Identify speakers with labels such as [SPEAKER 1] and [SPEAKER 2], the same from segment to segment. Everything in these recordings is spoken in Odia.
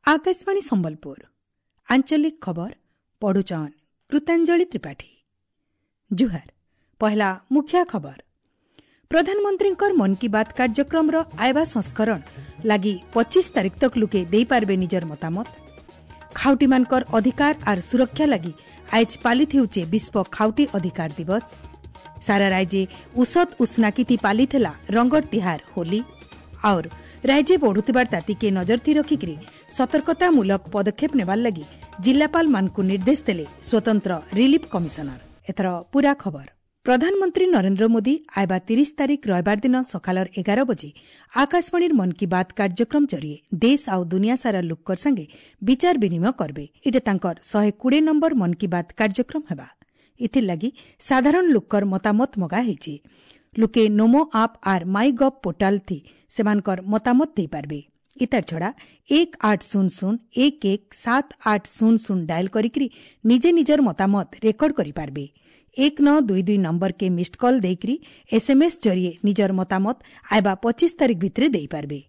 [SPEAKER 1] Akashvani Sambalpur आंचलिक खबर पढुचन कृतांजलि त्रिपाठी। जुहार। पहला मुख्य खबर। प्रधानमंत्रीଙ୍କର ମନ୍ କି ବାତ୍ କାର୍ଯ୍ୟକ୍ରମର ଆଇବା ସଂସ୍କରଣ ଲାଗି 25 ତାରିଖ ତକ ଲୁକେ ଦେଇପାରିବେ ନିଜର ମତାମତ। ଖାଉଟିମାନଙ୍କର ଅଧିକାର ଆର୍ ସୁରକ୍ଷା ଲାଗି ଆଏଜ୍ ପାଲିତ ହେଉଛେ ବିଶ୍ୱ ଖାଉଟି ଅଧିକାର ଦିବସ। ସାରା ରାଜ୍ୟେ ଉସତ ଉସ୍ନାକିତି ପାଲିଥିଲା ରଙ୍ଗର ତିହାର ହୋଲି। और राज्य ବଢୁଥିବାର ତାତିକେ ନଜର ଥି ରଖିକରି ସତର୍କତାମୂଳକ ପଦକ୍ଷେପ ନେବାର ଲାଗି ଜିଲ୍ଲାପାଳମାନଙ୍କୁ ନିର୍ଦ୍ଦେଶ ଦେଲେ ସ୍ୱତନ୍ତ୍ର ରିଲିଫ କମିଶନର। ଏଥର ପୁରା ଖବର। ପ୍ରଧାନମନ୍ତ୍ରୀ ନରେନ୍ଦ୍ର ମୋଦି ଆଇବା 30 ତାରିଖ ରବିବାର ଦିନ ସକାଳର 11 ବଜେ ଆକାଶବାଣୀର ମନ୍ କି ବାତ୍ କାର୍ଯ୍ୟକ୍ରମ ଜରିଏ ଦେଶ ଆଉ ଦୁନିଆ ସାରା ଲୋକର ସାଙ୍ଗେ ବିଚାର ବିନିମୟ କରବେ। ଏଇଟା ତାଙ୍କର 120 ନମ୍ବର ମନ୍ କି ବାତ୍ କାର୍ଯ୍ୟକ୍ରମ ହେବା। ଏଥିର୍ ଲାଗି ସାଧାରଣ ଲୋକର ମତାମତ ମଗା ହେଇଛି। ଲୋକେ ନମୋ ଆପ୍ ଆର୍ ମାଇ ଗଭ୍ ପୋର୍ଟାଲ ଥି ସେମାନଙ୍କର ମତାମତ ଦେଇପାରିବେ। ଇତାର ଛଡ଼ା 1800 11 7800 ଡାଏଲ୍ କରିକିରି ନିଜେ ନିଜର ମତାମତ ରେକର୍ଡ କରିପାରିବେ। 1922 ନମ୍ବରକେ ମିସ୍ଡ କଲ୍ ଦେଇକରି ଏସ୍ଏମ୍ଏସ୍ ଜରିଏ ନିଜର ମତାମତ ଆଇବା 25 ତାରିଖ ଭିତରେ ଦେଇପାରିବେ।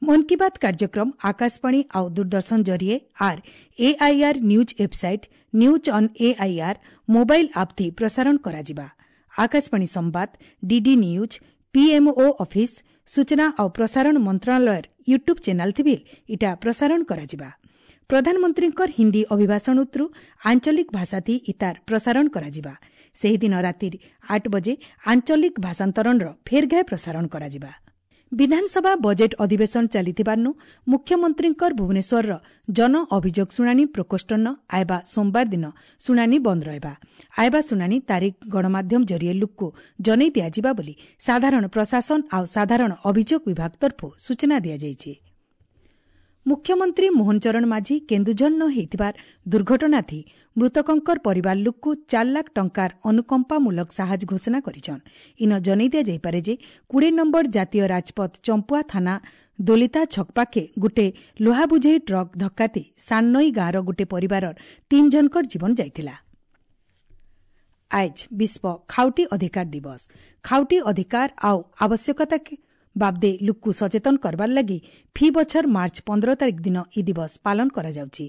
[SPEAKER 1] ମନ୍ କି ବାତ୍ କାର୍ଯ୍ୟକ୍ରମ ଆକାଶବାଣୀ ଆଉ ଦୂରଦର୍ଶନ ଜରିଏ ଆର୍ AIR news website, news on AIR mobile app ଥି ପ୍ରସାରଣ କରାଯିବା। ଆକାଶବାଣୀ ସମ୍ବାଦ, ଡିଡି ନ୍ୟୁଜ୍, ପିଏମ୍ଓ ଅଫିସ୍, ସୂଚନା ଆଉ ପ୍ରସାରଣ ମନ୍ତ୍ରଣାଳୟର ୟୁଟ୍ୟୁବ୍ ଚ୍ୟାନେଲ୍ ଥି ଇଟା ପ୍ରସାରଣ କରାଯିବା। ପ୍ରଧାନମନ୍ତ୍ରୀଙ୍କର ହିନ୍ଦୀ ଅଭିଭାଷଣ ଉତ୍ରୁ ଆଞ୍ଚଳିକ ଭାଷାଥି ଇତାର ପ୍ରସାରଣ କରାଯିବା। ସେହିଦିନ ରାତିର 8 ବଜେ ଆଞ୍ଚଳିକ ଭାଷାନ୍ତରଣର ଫେର୍ ଘାଏ ପ୍ରସାରଣ କରାଯିବା। ବିଧାନସଭା ବଜେଟ୍ ଅଧିବେଶନ ଚାଲିଥିବାରୁ ମୁଖ୍ୟମନ୍ତ୍ରୀଙ୍କର ଭୁବନେଶ୍ୱରର ଜନ ଅଭିଯୋଗ ଶୁଣାଣି ପ୍ରକୋଷ୍ଠନ ଆଇବା ସୋମବାର ଦିନ ଶୁଣାଣି ବନ୍ଦ ରହିବା। ଆଇବା ଶୁଣାଣି ତାରିଖ ଗଣମାଧ୍ୟମ ଜରିଏ ଲୁକ୍କୁ ଜଣାଇ ଦିଆଯିବା ବୋଲି ସାଧାରଣ ପ୍ରଶାସନ ଆଉ ସାଧାରଣ ଅଭିଯୋଗ ବିଭାଗ ତରଫରୁ ସୂଚନା ଦିଆଯାଇଛି। ମୁଖ୍ୟମନ୍ତ୍ରୀ ମୋହନ ଚରଣ ମାଝୀ କେନ୍ଦୁଝରନ ହେଇଥିବାର ଦୁର୍ଘଟଣାଥି ମୃତକଙ୍କର ପରିବାର ଲୋକକୁ 4 ଲାଖ ଟଙ୍କାର ଅନୁକମ୍ପାମୂଳକ ସାହାଯ୍ୟ ଘୋଷଣା କରିଛନ୍। ଇନ ଜଣାଇ ଦିଆଯାଇପାରେ ଯେ 20 ନମ୍ବର ଜାତୀୟ ରାଜପଥ ଚମ୍ପୁଆ ଥାନା ଦୋଲିତା ଛକ ପାଖେ ଗୋଟେ ଲୁହା ବୁଝେଇ ଟ୍ରକ୍ ଧକ୍କାତି ସାନନଈ ଗାଁର ଗୋଟେ ପରିବାରର 3 ଜଣଙ୍କର ଜୀବନ ଯାଇଥିଲା। ଆଏଜ୍ ବିଶ୍ୱ ଖାଉଟି ଅଧିକାର ଦିବସ। ଖାଉଟି ଅଧିକାର ଆଉ ଆବଶ୍ୟକତା ବାବଦେ ଲୁକ୍କୁ ସଚେତନ କରବାର ଲାଗି ଫି ବଛର ମାର୍ଚ୍ଚ 15 ତାରିଖ ଦିନ ଇ ଦିବସ ପାଳନ କରାଯାଉଛି।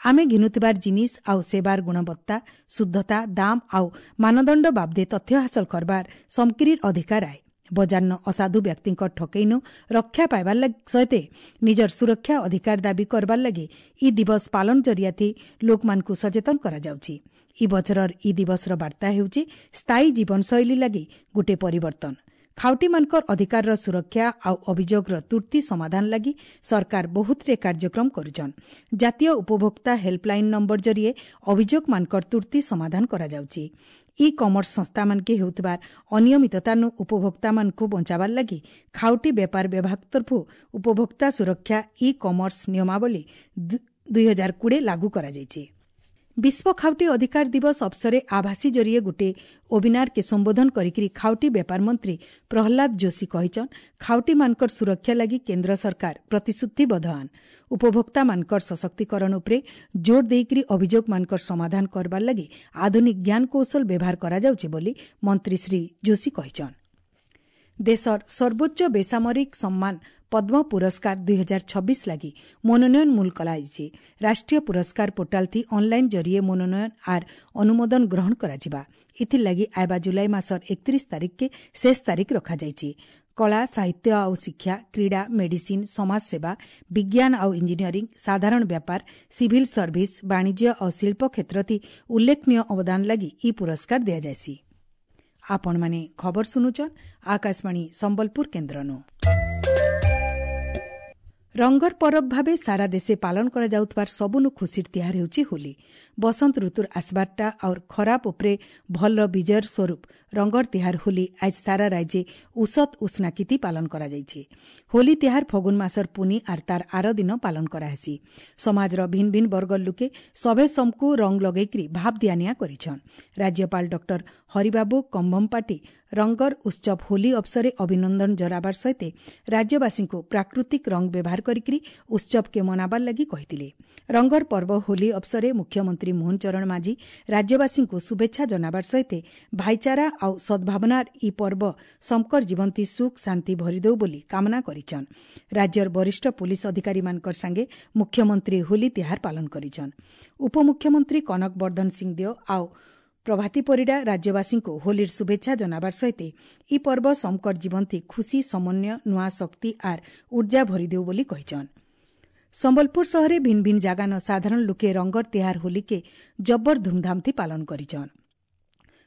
[SPEAKER 1] ଆମେ ଘିନୁଥିବାର ଜିନିଷ ଆଉ ସେବାର ଗୁଣବତ୍ତା, ଶୁଦ୍ଧତା, ଦାମ ଆଉ ମାନଦଣ୍ଡ ବାବଦେ ତଥ୍ୟ ହାସଲ କରବାର ସମକିରିର ଅଧିକାର ଆଏ। ବଜାରନ ଅସାଧୁ ବ୍ୟକ୍ତିଙ୍କ ଠକେଇନୁ ରକ୍ଷା ପାଇବାର ସହିତ ନିଜର ସୁରକ୍ଷା ଅଧିକାର ଦାବି କରବାର ଲାଗି ଇ ଦିବସ ପାଳନ ଜରିଆଥି ଲୋକମାନଙ୍କୁ ସଚେତନ କରାଯାଉଛି। ଇ ବଛରର ଇ ଦିବସର ବାର୍ତ୍ତା ହେଉଛି ସ୍ଥାୟୀ ଜୀବନଶୈଳୀ ଲାଗି ଗୋଟେ ପରିବର୍ତ୍ତନ। ଖାଉଟିମାନଙ୍କର ଅଧିକାରର ସୁରକ୍ଷା ଆଉ ଅଭିଯୋଗର ତୁର୍ତ୍ତି ସମାଧାନ ଲାଗି ସରକାର ବହୁତରେ କାର୍ଯ୍ୟକ୍ରମ କରୁଛନ୍। ଜାତୀୟ ଉପଭୋକ୍ତା ହେଲ୍ପଲାଇନ୍ ନମ୍ବର ଜରିଏ ଅଭିଯୋଗମାନଙ୍କର ତୁର୍ତ୍ତି ସମାଧାନ କରାଯାଉଛି। ଇ କମର୍ସ ସଂସ୍ଥାମାନକେ ହେଉଥିବାର ଅନିୟମିତତାନୁ ଉପଭୋକ୍ତାମାନଙ୍କୁ ବଞ୍ଚାବାର ଲାଗି ଖାଉଟି ବେପାର ବିଭାଗ ତରଫରୁ ଉପଭୋକ୍ତା ସୁରକ୍ଷା ଇ କମର୍ସ ନିୟମାବଳୀ 2020 ଲାଗୁ କରାଯାଇଛି। ବିଶ୍ୱ ଖାଉଟି ଅଧିକାର ଦିବସ ଅବସରେ ଆଭାସୀ ଜରିଏ ଗୋଟେ ୱେବିନାରକେ ସମ୍ବୋଧନ କରିକି ଖାଉଟି ବେପାର ମନ୍ତ୍ରୀ ପ୍ରହ୍ଲାଦ ଯୋଶୀ କହିଛନ୍, ଖାଉଟିମାନଙ୍କର ସୁରକ୍ଷା ଲାଗି କେନ୍ଦ୍ର ସରକାର ପ୍ରତିଶ୍ରୁତିବଦ୍ଧ। ଉପଭୋକ୍ତାମାନଙ୍କର ସଶକ୍ତିକରଣ ଉପରେ ଜୋର ଦେଇକରି ଅଭିଯୋଗମାନଙ୍କର ସମାଧାନ କରବାର ଲାଗି ଆଧୁନିକ ଜ୍ଞାନକୌଶଳ ବ୍ୟବହାର କରାଯାଉଛି ବୋଲି ମନ୍ତ୍ରୀ ଶ୍ରୀ ଯୋଶୀ କହିଛନ୍। ଦେଶର ସର୍ବୋଚ୍ଚ ବେସାମରିକ ସମ୍ମାନ ପଦ୍ମ ପୁରସ୍କାର 2026 ଲାଗି ମନୋନୟନ ମୂଲ କରାଯାଇଛି। ରାଷ୍ଟ୍ରୀୟ ପୁରସ୍କାର ପୋର୍ଟାଲ ଥି ଅନ୍ଲାଇନ୍ ଜରିଏ ମନୋନୟନ ଆର୍ ଅନୁମୋଦନ ଗ୍ରହଣ କରାଯିବା। ଏଥିର୍ଲାଗି ଆଇବା ଜୁଲାଇ ମାସର 31 ତାରିଖକେ ଶେଷ ତାରିଖ ରଖାଯାଇଛି। କଳା, ସାହିତ୍ୟ ଆଉ ଶିକ୍ଷା, କ୍ରୀଡ଼ା, ମେଡିସିନ୍, ସମାଜସେବା, ବିଜ୍ଞାନ ଆଉ ଇଞ୍ଜିନିୟରିଂ, ସାଧାରଣ ବ୍ୟାପାର, ସିଭିଲ୍ ସର୍ଭିସ, ବାଣିଜ୍ୟ ଆଉ ଶିଳ୍ପ କ୍ଷେତ୍ରଥି ଉଲ୍ଲେଖନୀୟ ଅବଦାନ ଲାଗି ଇ ପୁରସ୍କାର ଦିଆଯାଏସି। ଆପଣମାନେ ଖବର ଶୁଣୁଛନ୍ ଆକାଶବାଣୀ ସମ୍ବଲପୁର କେନ୍ଦ୍ରନୁ। ରଙ୍ଗର ପରବ ଭାବେ ସାରା ଦେଶେ ପାଳନ କରାଯାଉଥିବାର ସବୁନୁ ଖୁସିର ତିହାର ହେଉଛି ହୋଲି। ବସନ୍ତ ଋତୁର ଆସବାରଟା ଆଉର ଖରାପ ଉପରେ ଭଲର ବିଜୟର ସ୍ୱରୂପ ରଙ୍ଗର ତିହାର ହୋଲି ଆଜ ସାରା ରାଜ୍ୟେ ଉସତ ଉସ୍ନାକିତି ପାଳନ କରାଯାଇଛି। ହୋଲି ତିହାର ଫଗୁନ ମାସର ପୁନି ଆର୍ ତାର ଆର ଦିନ ପାଳନ କରାହେସି। ସମାଜର ଭିନ୍ନ ଭିନ୍ନ ବର୍ଗର ଲୋକେ ସଭେ ସମକୁ ରଙ୍ଗ ଲଗେଇକରି ଭାବ ଦିଆନିଆ କରିଛନ୍। ରାଜ୍ୟପାଳ ଡକ୍ଟର ହରିବାବୁ କମ୍ଭମପାଟି ରଙ୍ଗର ଉତ୍ସବ ହୋଲି ଅବସରେ ଅଭିନନ୍ଦନ ଜଣାବାର ସହିତ ରାଜ୍ୟବାସୀଙ୍କୁ ପ୍ରାକୃତିକ ରଙ୍ଗ ବ୍ୟବହାର କରିକି ଉତ୍ସବକେ ମନାବାର ଲାଗି କହିଥିଲେ। ରଙ୍ଗର ପର୍ବ ହୋଲି ଅବସରେ ମୁଖ୍ୟମନ୍ତ୍ରୀ ମୋହନ ଚରଣ ମାଝୀ ରାଜ୍ୟବାସୀଙ୍କୁ ଶୁଭେଚ୍ଛା ଜଣାବାର ସହିତ ଭାଇଚାରା ଆଉ ସଦ୍ଭାବନାର ଇ ପର୍ବ ସମକର ଜୀବନ୍ତୀ ସୁଖ ଶାନ୍ତି ଭରିଦେଉ ବୋଲି କାମନା କରିଛନ୍। ରାଜ୍ୟର ବରିଷ୍ଠ ପୁଲିସ ଅଧିକାରୀମାନଙ୍କର ସାଙ୍ଗେ ମୁଖ୍ୟମନ୍ତ୍ରୀ ହୋଲି ତିହାର ପାଳନ କରିଛନ୍। ଉପମୁଖ୍ୟମନ୍ତ୍ରୀ କନକ ବର୍ଦ୍ଧନ ସିଂଦେଓ ଆଉ ପ୍ରଭାତୀ ପରିଡ଼ା ରାଜ୍ୟବାସୀଙ୍କୁ ହୋଲିର ଶୁଭେଚ୍ଛା ଜଣାବାର ସହିତ ଇ ପର୍ବ ସମକର ଜୀବନ୍ତୀ ଖୁସି, ସମନ୍ୱୟ, ନୂଆ ଶକ୍ତି ଆର୍ ଉର୍ଜା ଭରିଦେଉ ବୋଲି କହିଛନ୍। ସମ୍ବଲପୁର ସହରେ ଭିନ୍ ଭିନ୍ ଜାଗାନ ସାଧାରଣ ଲୋକେ ରଙ୍ଗର ତିହାର ହୋଲିକେ ଜବର ଧୁମଧାମଥି ପାଳନ କରିଛନ୍।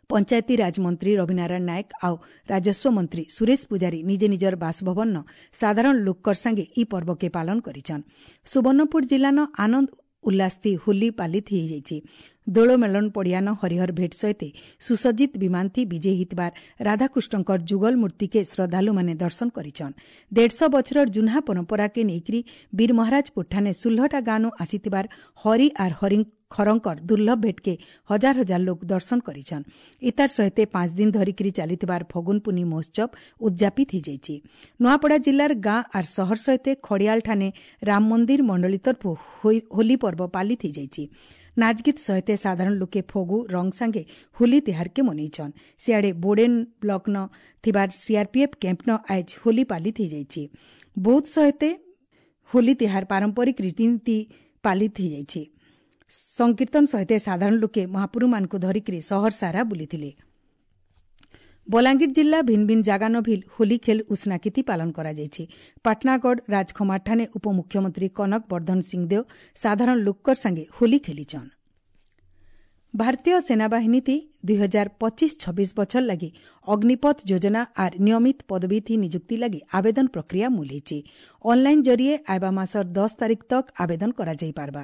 [SPEAKER 1] ପଞ୍ଚାୟତିରାଜ ମନ୍ତ୍ରୀ ରବିନାରାୟଣ ନାୟକ ଆଉ ରାଜସ୍ୱ ମନ୍ତ୍ରୀ ସୁରେଶ ପୂଜାରୀ ନିଜେ ନିଜର ବାସଭବନ ସାଧାରଣ ଲୋକର ସାଙ୍ଗେ ଇ ପର୍ବକେ ପାଳନ କରିଛନ୍। ସୁବର୍ଣ୍ଣପୁର ଜିଲ୍ଲାନ ଆନନ୍ଦ ଉଲ୍ଲାସଥି ହୋଲି ପାଲିତ ହୋଇଯାଇଛି। ଦୋଳ ମେଳନ ପଡ଼ିଆନ ହରିହର ଭେଟ ସହିତ ସୁସଜ୍ଜିତ ବିମାନଥି ବିଜେ ହେଇଥିବାର ରାଧାକୃଷ୍ଣଙ୍କର ଯୁଗଲ ମୂର୍ତ୍ତିକେ ଶ୍ରଦ୍ଧାଳୁମାନେ ଦର୍ଶନ କରିଛନ୍। 150 ବଛରର ଜୁନ୍ହା ପରମ୍ପରାକେ ନେଇକରି ବୀର ମହାରାଜପୁର ଠାନେ 16ଟା ଗାଁନୁ ଆସିଥିବାର ହରି ଆର୍ ହରି ଖରଙ୍କର ଦୁର୍ଲଭ ଭେଟକେ ହଜାର ହଜାର ଲୋକ ଦର୍ଶନ କରିଛନ୍। ଇତାର ସହିତ 5 ଦିନ ଧରିକିରି ଚାଲିଥିବାର ଫଗୁନ ପୁନି ମହୋତ୍ସବ ଉଦଯାପିତ ହୋଇଯାଇଛି। ନୂଆପଡ଼ା ଜିଲ୍ଲାର ଗାଁ ଆର୍ ସହର ସହିତ ଖଡ଼ିଆଳ ଠାନେ ରାମ ମନ୍ଦିର ମଣ୍ଡଳୀ ତରଫୁ ହୋଲି ପର୍ବ ପାଲିତ ହୋଇଯାଇଛି। ନାଚଗୀତ ସହିତ ସାଧାରଣ ଲୋକେ ଫଗୁ ରଙ୍ଗ ସାଙ୍ଗେ ହୋଲି ତିହାରକେ ମନେଇଛନ୍। ସିଆଡ଼େ ବୋଡେନ୍ ବ୍ଲକନ ଥିବାର ସିଆର୍ପିଏଫ୍ କ୍ୟାମ୍ପନ ଆଏଜ ହୋଲି ପାଲିତ ହୋଇଯାଇଛି। ବୌଦ୍ଧ ସହିତ ହୋଲି ତିହାର ପାରମ୍ପରିକ ରୀତିନୀତି ପାଲିତ ହୋଇଯାଇଛି। ସଂକୀର୍ତ୍ତନ ସହିତ ସାଧାରଣ ଲୋକେ ମହାପୁରୁମାନଙ୍କୁ ଧରିକିରି ସହର ସାରା ବୁଲିଥିଲେ। ବଲାଙ୍ଗୀର ଜିଲ୍ଲା ଭିନ୍ ଭିନ୍ ଜାଗାନ ଭିଲ୍ ହୋଲି ଖେଲ ଉଷ୍ଣାକିତି ପାଳନ କରାଯାଇଛି। ପାଟନାଗଡ଼ ରାଜଖମାରଠାନେ ଉପମୁଖ୍ୟମନ୍ତ୍ରୀ କନକ ବର୍ଦ୍ଧନ ସିଂଦେଓ ସାଧାରଣ ଲୋକର ସାଙ୍ଗେ ହୋଲି ଖେଲିଛନ୍। ଭାରତୀୟ ସେନାବାହିନୀ 2025-26 ବଛର ଲାଗି ଅଗ୍ନିପଥ ଯୋଜନା ଆର୍ ନିୟମିତ ପଦବୀ ନିଯୁକ୍ତି ଲାଗି ଆବେଦନ ପ୍ରକ୍ରିୟା ମୂଲ ହେଇଛି। ଅନ୍ଲାଇନ୍ ଜରିଏ ଆଇବା ମାସର 10 ତାରିଖ ତକ୍ ଆବେଦନ କରାଯାଇପାରବା।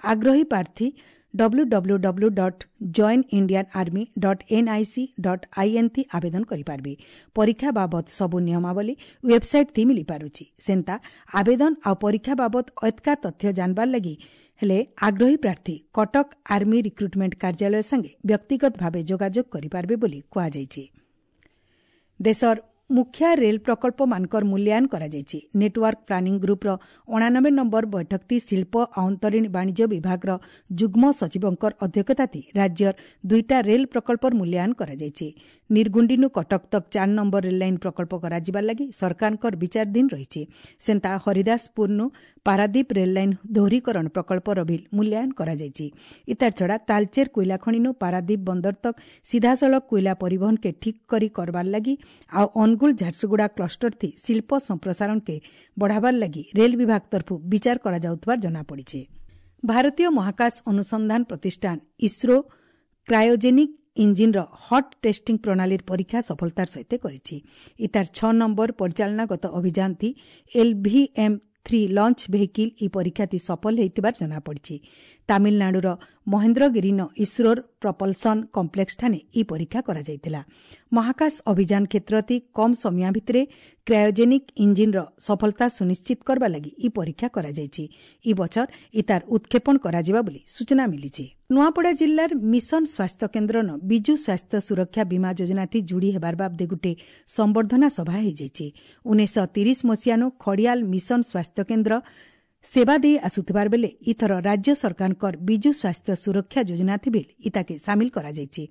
[SPEAKER 1] ଆଗ୍ରହୀ ପ୍ରାର୍ଥୀ www.joinindianarmy.nic.in ଥି ଆବେଦନ କରିପାରିବେ। ପରୀକ୍ଷା ବାବଦ ସବୁ ନିୟମାବଳୀ ୱେବସାଇଟ୍ ଥି ମିଳିପାରୁଛି। ସେନ୍ତା ଆବେଦନ ଆଉ ପରୀକ୍ଷା ବାବଦ ଅତକା ତଥ୍ୟ ଜାଣବାର ଲାଗି ହେଲେ ଆଗ୍ରହୀ ପ୍ରାର୍ଥୀ କଟକ ଆର୍ମି ରିକ୍ରୁଟମେଣ୍ଟ କାର୍ଯ୍ୟାଳୟ ସାଙ୍ଗେ ବ୍ୟକ୍ତିଗତ ଭାବେ ଯୋଗାଯୋଗ କରିପାରିବେ ବୋଲି କୁହାଯାଇଛି। ଦେଶର ମୁଖ୍ୟ ରେଲ୍ ପ୍ରକଳ୍ପମାନଙ୍କର ମୂଲ୍ୟାୟନ କରାଯାଇଛି। ନେଟୱାର୍କ ପ୍ଲାନିଂ ଗ୍ରୁପ୍ର 89 ନମ୍ବର ବୈଠକଟି ଶିଳ୍ପ ଆନ୍ତରୀଣ ବାଣିଜ୍ୟ ବିଭାଗର ଯୁଗ୍ମ ସଚିବଙ୍କର ଅଧ୍ୟକ୍ଷତାଥି ରାଜ୍ୟର 2ଟା ରେଲ୍ ପ୍ରକଳ୍ପର ମୂଲ୍ୟାୟନ କରାଯାଇଛି। ନିର୍ଗୁଣ୍ଡିନୁ କଟକ ତକ୍ 4 ନମ୍ବର ରେଲ୍ ଲାଇନ୍ ପ୍ରକଳ୍ପ କରାଯିବାର ଲାଗି ସରକାରଙ୍କର ବିଚାରାଧୀନ ରହିଛି। ସେନ୍ତା ହରିଦାସପୁରନୁ ପାରାଦୀପ ରେଲ୍ ଲାଇନ୍ ଦୋହରୀକରଣ ପ୍ରକଳ୍ପର ବିଲ୍ ମୂଲ୍ୟାୟନ କରାଯାଇଛି। ଇତାର ଛଡ଼ା ତାଲଚେର କୋଇଲା ଖଣିନୁ ପାରାଦୀପ ବନ୍ଦର ତକ୍ ସିଧାସଳଖ କୋଇଲା ପରିବହନକେ ଠିକ୍ କରି କରବାର ଲାଗି ଆଉ ଅନୁଗୁଳ ଝାରସୁଗୁଡ଼ା କ୍ଲଷ୍ଟର ଥି ଶିଳ୍ପ ସମ୍ପ୍ରସାରଣକେ ବଢ଼ାବାର ଲାଗି ରେଲ୍ ବିଭାଗ ତରଫୁ ବିଚାର କରାଯାଉଥିବାର ଜଣାପଡ଼ିଛି। ଭାରତୀୟ ମହାକାଶ ଅନୁସନ୍ଧାନ ପ୍ରତିଷ୍ଠାନ ଇସ୍ରୋ କ୍ରାୟୋଜେନିକ୍ ଇଞ୍ଜିନ୍ର ହଟ୍ ଟେଷ୍ଟିଂ ପ୍ରଣାଳୀର ପରୀକ୍ଷା ସଫଳତାର ସହିତ କରିଛି। ଇତାର 6 ନମ୍ବର ପରିଚାଳନାଗତ ଅଭିଯାନ ଥି LVM-3 launch vehicle ଇ ପରୀକ୍ଷାଟି ସଫଳ ହୋଇଥିବାର ଜଣାପଡ଼ିଛି। ତାମିଲନାଡୁର ମହେନ୍ଦ୍ରଗିରିନ ଇସ୍ରୋର ପ୍ରପଲସନ୍ କମ୍ପ୍ଲେକ୍ସଠାନେ ଇ ପରୀକ୍ଷା କରାଯାଇଥିଲା। ମହାକାଶ ଅଭିଯାନ କ୍ଷେତ୍ରତି କମ୍ ସମୟ ଭିତରେ କ୍ରାୟୋଜେନିକ୍ ଇଞ୍ଜିନ୍ର ସଫଳତା ସୁନିଶ୍ଚିତ କରିବା ଲାଗି ଇ ପରୀକ୍ଷା କରାଯାଇଛି। ଇ ବଛର ଇତାର ଉତ୍କ୍ଷେପଣ କରାଯିବା ବୋଲି ସୂଚନା ମିଳିଛି। ନୂଆପଡ଼ା ଜିଲ୍ଲାର ମିଶନ ସ୍ୱାସ୍ଥ୍ୟ କେନ୍ଦ୍ରନ ବିଜୁ ସ୍ୱାସ୍ଥ୍ୟ ସୁରକ୍ଷା ବୀମା ଯୋଜନାଥି ଯୋଡ଼ି ହେବାର ବାବଦେ ଗୋଟେ ସମ୍ବର୍ଦ୍ଧନା ସଭା ହୋଇଯାଇଛି। 1930 ମସିହାନୁ ଖଡ଼ିଆଲ ମିଶନ ସ୍ୱାସ୍ଥ୍ୟ କେନ୍ଦ୍ର ସେବା ଦେଇ ଆସୁଥିବାର ବେଲେ ଇଥର ରାଜ୍ୟ ସରକାରଙ୍କର ବିଜୁ ସ୍ୱାସ୍ଥ୍ୟ ସୁରକ୍ଷା ଯୋଜନା ଥିବେ ଇତାକେ ସାମିଲ କରାଯାଇଛି।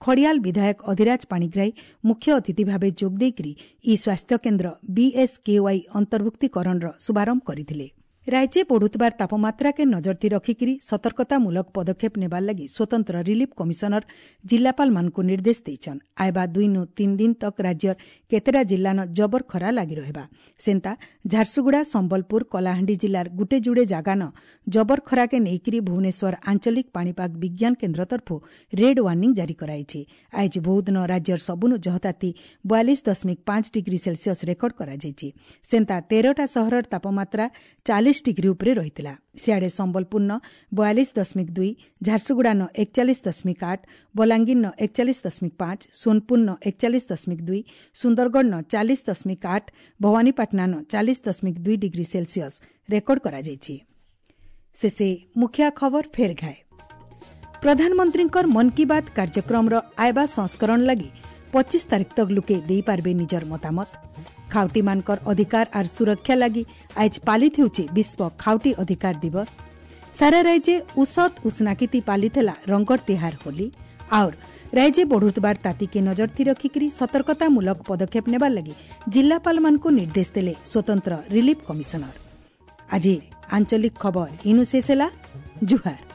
[SPEAKER 1] ଖଡ଼ିଆଲ ବିଧାୟକ ଅଧିରାଜ ପାଣିଗ୍ରାହୀ ମୁଖ୍ୟ ଅତିଥି ଭାବେ ଯୋଗ ଦେଇକରି ଇ ସ୍ୱାସ୍ଥ୍ୟ କେନ୍ଦ୍ର ବିଏସ୍କେୱାଇ ଅନ୍ତର୍ଭୁକ୍ତୀକରଣର ଶୁଭାରମ୍ଭ କରିଥିଲେ। ରାଜ୍ୟ ବଢ଼ୁଥିବାର ତାପମାତ୍ରାକେ ନଜରତି ରଖିକିରି ସତର୍କତାମୂଳକ ପଦକ୍ଷେପ ନେବାର ଲାଗି ସ୍ୱତନ୍ତ୍ର ରିଲିଫ୍ କମିଶନର ଜିଲ୍ଲାପାଳମାନଙ୍କୁ ନିର୍ଦ୍ଦେଶ ଦେଇଛନ୍। ଆଇବା 2 ରୁ 3 ଦିନ ତକ୍ ରାଜ୍ୟର କେତେଟା ଜିଲ୍ଲାନ ଜବର ଖରା ଲାଗି ରହିବା। ସେନ୍ତା ଝାରସୁଗୁଡ଼ା, ସମ୍ବଲପୁର, କଳାହାଣ୍ଡି ଜିଲ୍ଲାର ଗୁଟେ ଯୁଡ଼େ ଜାଗାନ ଜବର ଖରାକେ ନେଇକିରି ଭୁବନେଶ୍ୱର ଆଞ୍ଚଳିକ ପାଣିପାଗ ବିଜ୍ଞାନ କେନ୍ଦ୍ର ତରଫୁ ରେଡ୍ ୱାର୍ଣ୍ଣିଂ ଜାରି କରାଯାଇଛି। ଆଜି ବହୁଦିନ ରାଜ୍ୟର ସବୁନୁ ଜହତାତି 42.5 ଡିଗ୍ରୀ ସେଲସିୟସ୍ ରେକର୍ଡ କରାଯାଇଛି। ସେନ୍ତା 13ଟା ସହରର ତାପମାତ୍ରା 40 ଡିଗ୍ରୀ ଉପରେ ରହିଥିଲା। ସିଆଡ଼େ ସମ୍ବଲପୁରନ 42.2, ଝାରସୁଗୁଡ଼ାନ 41.8, ବଲାଙ୍ଗୀରନ 41.5, ସୋନପୁରନ 41.2, ସୁନ୍ଦରଗଡ଼ନ 40.8, ଭବାନୀପାଟଣାନ 40.2 ଡିଗ୍ରୀ ସେଲସିୟସ୍ ରେକର୍ଡ କରାଯାଇଛି। ଶେଷେ ମୁଖିଆ ଖବର ଫେର ଘାଏ। ପ୍ରଧାନମନ୍ତ୍ରୀଙ୍କର ମନ୍ କି ବାତ୍ କାର୍ଯ୍ୟକ୍ରମର ଆଇବା ସଂସ୍କରଣ ଲାଗି 25 ତାରିଖ ତକ୍ ଲୁକେ ଦେଇପାରିବେ ନିଜର ମତାମତ। ଖାଉଟିମାନଙ୍କର ଅଧିକାର ଆର୍ ସୁରକ୍ଷା ଲାଗି ଆଏଜ୍ ପାଲିତ ହେଉଛି ବିଶ୍ୱ ଖାଉଟି ଅଧିକାର ଦିବସ। ସାରା ରାଜ୍ୟେ ଉସତ ଉଷ୍ଣାକିତି ପାଲିଥିଲା ରଙ୍ଗର ତିହାର ହୋଲି। ଆଉର୍ ରାଜ୍ୟେ ବଢ଼ୁଥିବାର ତାତିକେ ନଜର ଥି ରଖିକରି ସତର୍କତାମୂଳକ ପଦକ୍ଷେପ ନେବାର ଲାଗି ଜିଲ୍ଲାପାଳମାନଙ୍କୁ ନିର୍ଦ୍ଦେଶ ଦେଲେ ସ୍ୱତନ୍ତ୍ର ରିଲିଫ୍ କମିଶନର। ଆଜି ଆଞ୍ଚଳିକ ଖବର ଇନୁ ଶେଷ ହେଲା। ଜୁହାର।